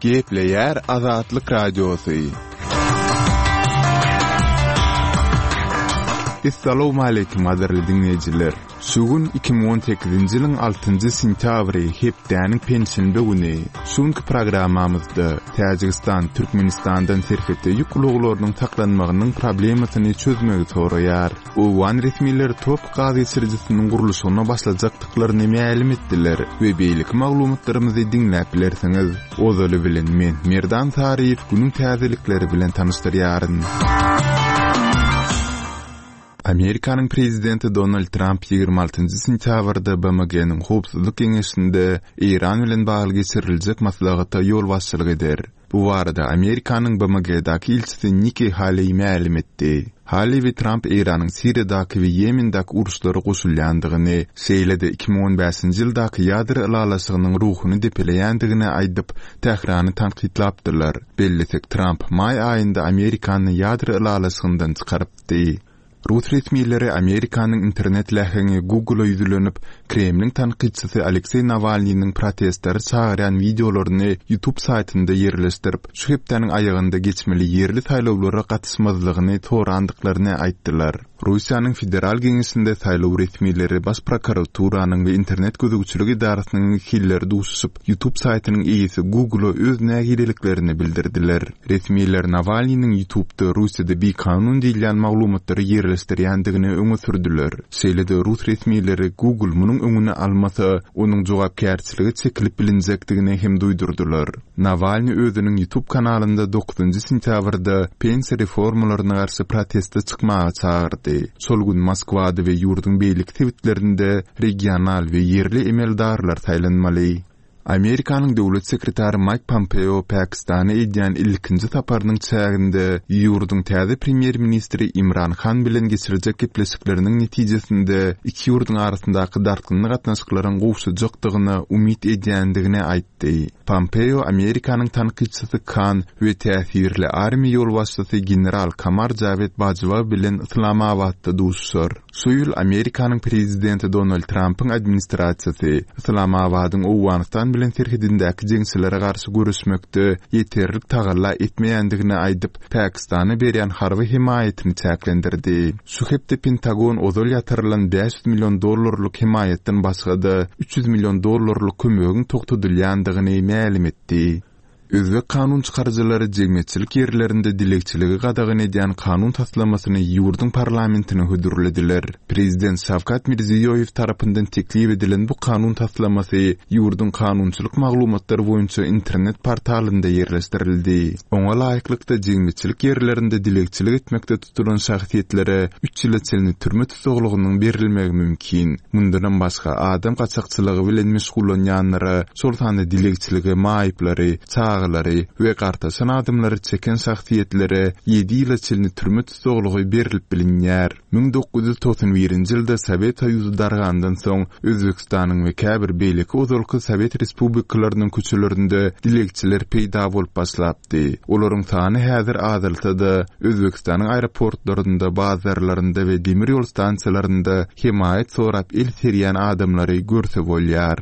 Gepleýär Azatlyk Radiosy. Essalawmaleýkim gadyrly diňleýjiler! Şu gün 2018-nji ýylyň altynjy sentýabry, hepdäniň penşenbe güni. Şu günki programmamyzda Täjigistan Türkmenistandan serhetde ýük ulaglarynyň saklanmagynyň problemasyny çözmegi soraýar. Owgan resmileri tropik gaz geçirijisiniň gurluşygyna başlajakdyklaryny mälim etdiler we beýleki maglumatlarymyzy diňläp bilersiňiz. Ozaly bilen men, Merdan Saryýew günüň täzelikleri bilen tanyşdyrýaryn. Amerikanyň prezidenti Donald Tramp 26 sentýabrda BMG-niň Howpsuzlyk Geňeşinde Eýran bilen bagly geçiriljek maslahata ýolbaşçylyk eder. Bu barada Amerikanyň BMG-daky ilçisi Nikki Haleý mälim etdi. Haleý we Tramp Eýranyň Siriýadaky we Ýemendäki uruşlara goşulýandygyny, şeýle-de 2015-nji ýyldaky ýadro ylalaşygynyň ruhuny depeleýändigini aýdyp, Tährany tankytlapdylar. Bellesek, Tramp maý aýynda Amerikany ýadro ylalaşygyndan çykarypdy. Rus resmileri Amerikanyň internet läheňi Google-a ýüzlenip, Kremliň tankytçysy Alekseý Nawalnynyň protestlere çagyrýan wideolaryny YouTube saýtynda ýerleşdirip, şu hepdäniň aýagynda geçmeli ýerli saýlawlara gatyşmazlygyny sorandyklaryny aýtdylar. Russiýanyň Federal Geňeşinde saýlaw resmileri, Baş prokuraturanyň we internet gözegçilik edarasynyň wekilleri duşuşyp, YouTube saýtynyň eýesi Google-a öz nägileliklerini bildirdiler. Resmiler Nawalnynyň YouTube-da Russiýada bikanun diýilýän maglumatlary ýerleşdirýändigini öňe sürdüler. Şeýle-de rus resmileri Google munuň öňüni almasa, onuň jogapkärçilige çekilip bilinjekdigini hem duýdurdylar. Nawalny özüniň YouTube kanalynda dokuzynjy sentýabrda pensiýa reformalaryna garşy proteste çykmaga çagyrdy. Şol gün Moskwada we ýurduň beýleki sebitlerinde regional we ýerli emeldarlar saýlanmaly. Amerikanyň döwlet sekretary Maýk Pompeo Pakistana edýän ilkinji saparynyň çäginde ýurduň täze premýer-ministri Imran Han bilen geçirjek gepleşikleriniň netijesinde iki ýurduň arasyndaky dartgynly gatnaşyklaryň gowşajakdygyna umyt edýändigini aýtdy. Pompeo Amerikanyň tankytçysy Kan we täsirli armiýa ýolbaşçysy general Kamar Jawed Bajwa bilen Yslamabatda duşuşar. Şu ýyl Amerikanyň prezidenti Donald Trampyň administrasiýasy Yslamabadyň Owganystan bilen serhedindäki jeňçilere garşy göreşmekde ýeterlik tagalla etmeýändigini aýdyp, Pakistana berýän harby hemaýatyny çäklendirdi. Şu hepde Pentagon ozal ýatyrylan 500 million dollarlyk hemaýatdan başga-da, 300 million dollarlyk kömegiň togtadylýandygyny mälim etdi. Özbek kanun çykaryjylary jemgyýetçilik ýerlerinde dilegçiligi gadagan edýän kanun taslamasyny ýurduň parlamentine hödürlediler. Prezident Şawkat Mirziýoýew tarapyndan teklip edilen bu kanun taslamasy ýurduň kanunçylyk maglumatlary boýunça internet portalynda ýerleşdirildi. Oňa laýyklykda, jemgyýetçilik ýerlerinde dilegçilik etmekde tutulan şahsyýetlere üç ýyla çenli türme tussaglygynyň berilmegi mümkin. Mundanam başga, adam gaçakçylygy bilen meşgullanýanlara, şol sanda dilegçilige maýyplary, çagalary we gartaşan adamlary çeken şahsyýetlere ýedi ýyla çenli türme tussaglygy berlip bilinýär. 1991-nji ýylda Sowet Soýuzy dargandan soň, Özbegistanyň we käbir beýleki ozalky sowet respublikalarynyň köçelerinde dilegçiler peýda bolup başlapdy. Olaryň sany häzir azalsa-da, Özbegistanyň aeroportlarynda, bazarlarynda we demir ýol stansiýalarynda hemaýat sorap el serýän adamlary görse bolýar.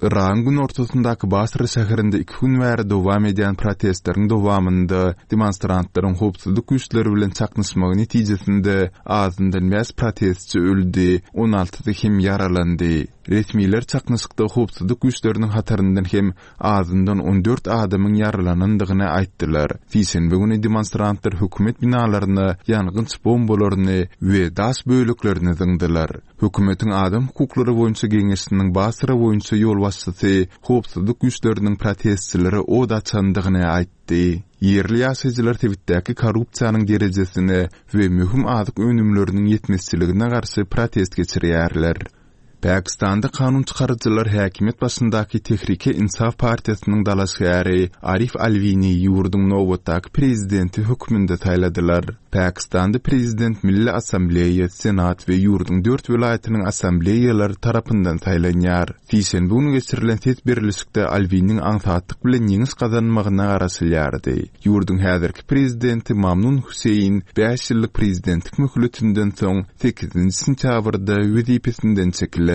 Yragyň günortasyndaky Basra şäherinde iki gün bäri dowam edýän protestleriň dowamynda demonstrantlaryň howpsuzlyk güýçleri bilen çaknyşmagy netijesinde azyndan bäş protestçi öldi, on altysy hem ýaralandy. Resmiler çaknyşykda howpsuzlyk güýçleriniň hataryndan hem azyndan on dört adamyň ýaralanandygyny aýtdylar. Sişenbe güni demonstrantlar hökümet binalaryna ýangynç bombalaryny we daş böleklerini zyňdylar. Hökümetiň adam hukuklary boýunça geňeşiniň Basra boýunça ýolbaşçysy howpsuzlyk güýçleriniň protestçilere od açandygyny aýtdy. Ýerli ýaşaýjylar sebitdäki korrupsiýanyň derejesine we möhüm azyk önümleriniň ýetmezçiligine garşy protest geçirýärler. Pakistanda kanun çykaryjylar häkimiýet başyndaky Tehrike-Insaf partiýasynyň dalaşgäri Arif Alwini ýurduň nobatdaky prezidenti hökmünde saýladylar. Pakistanda prezident Milli Assambleýa, Senat we ýurduň dört welaýatynyň assambleýalary tarapyndan saýlanýar. Sişenbe güni geçirilen ses berlişikde Alwiniň aňsatlyk bilen ýeňiş gazanmagyna garaşylýardy. Ýurduň häzirki prezidenti Mamnun Hüseýin bäş ýyllyk prezidentlik möhletinden soň sekizinji sentýabrda wezipesinden çekiler.